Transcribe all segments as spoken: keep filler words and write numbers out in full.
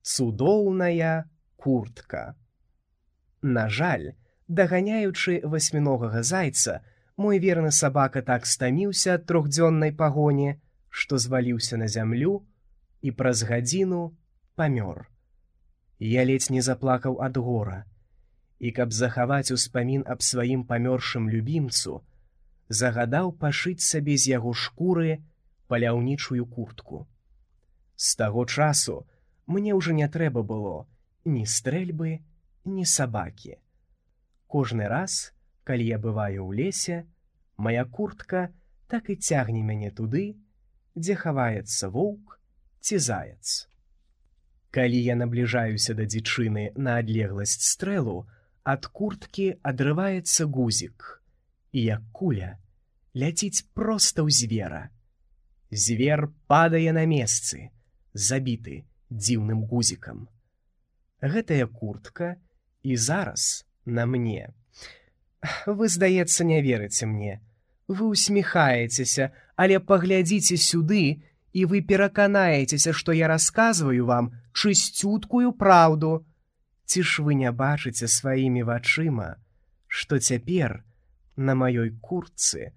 Цудоўная куртка. На жаль, даганяючы васьміногага зайца, мой верны сабака так стаміўся ад трохдзённай пагоні, што зваліўся на зямлю і праз гадзіну памёр. Я ледзь не заплакаў ад гора, і каб захаваць успамін аб сваім памёршым любімцу, загадаў пашыць сабе з яго шкуры паляўнічую куртку. З таго часу мне ўжо не трэба было ні стрэльбы, ні сабакі. Кожны раз, калі я бываю ў лесе, мая куртка так і цягне мяне туды, дзе хаваецца воўк ці заяц. Калі я набліжаюся да дзічыны на адлегласць стрэлу, ад курткі адрываецца гузік, і як куля ляціць проста ў звера. Звер падае на месцы, забіты дзіўным гузікам. Гэтая куртка і зараз на мне. Вы, здаецца, не верыце мне. Вы усміхаецеся, але паглядзіце сюды, і вы пераканаецеся, што я расказваю вам чысцюткую праўду. Ці ж вы не бачыце сваімі вачыма, што цяпер на маёй куртцы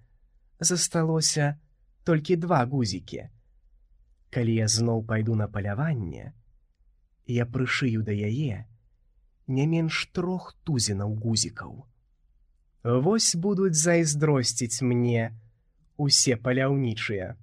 засталося толькі два гузікі. Калі я зноў пайду на паляванне, я прышыю да яе не менш трох тузінаў гузікаў. Вось будуць зайздросціць мне усе паляўнічыя.